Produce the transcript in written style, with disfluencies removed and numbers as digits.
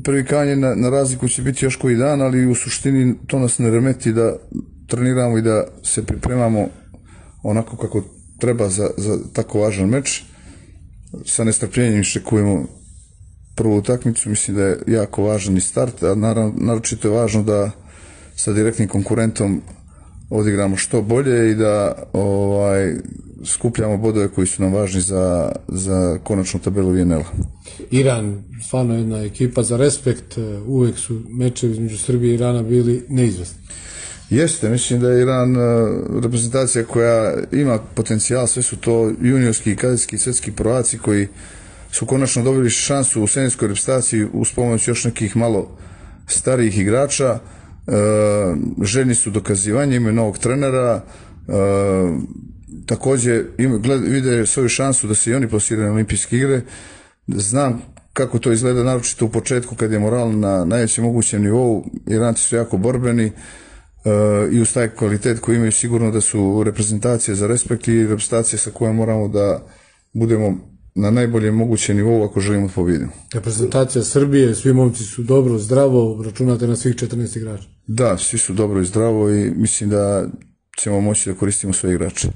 privikanje na razliku će biti još koji dan, ali u suštini to nas ne remeti da treniramo i da se pripremamo onako kako treba za tako važan meč. Sa nestrpljenjem iščekujemo prvu utakmicu, mislim da je jako važan i start, a naročito je važno da sa direktnim konkurentom odigramo što bolje i da skupljamo bodove koji su nam važni za konačnu tabelu VNL-a. Iran, stvarno jedna ekipa za respekt, uvek su mečevi između Srbije i Irana bili neizvesni. Jeste, mislim da je Iran reprezentacija koja ima potencijal, sve su to juniorski i kadetski svetski prvaci koji su konačno dobili šansu u seniorskoj reprezentaciji uz pomoć još nekih malo starijih igrača. Željni su dokazivanje, imaju novog trenera, također vide svoju šansu da se i oni plasiraju na olimpijske igre. Znam kako to izgleda, naročito u početku kad je moral na najvećem mogućem nivou. Iranci su jako borbeni i uz taj kvalitet koji imaju sigurno da su reprezentacije za respekt i reprezentacije sa kojom moramo da budemo na najboljem mogućem nivou ako želimo pobjediti. Reprezentacija Srbije, svi momci su dobro, zdravo, računate na svih 14 igrača. Da, svi su dobro i zdravo i mislim da ćemo moći da koristimo sve igrače.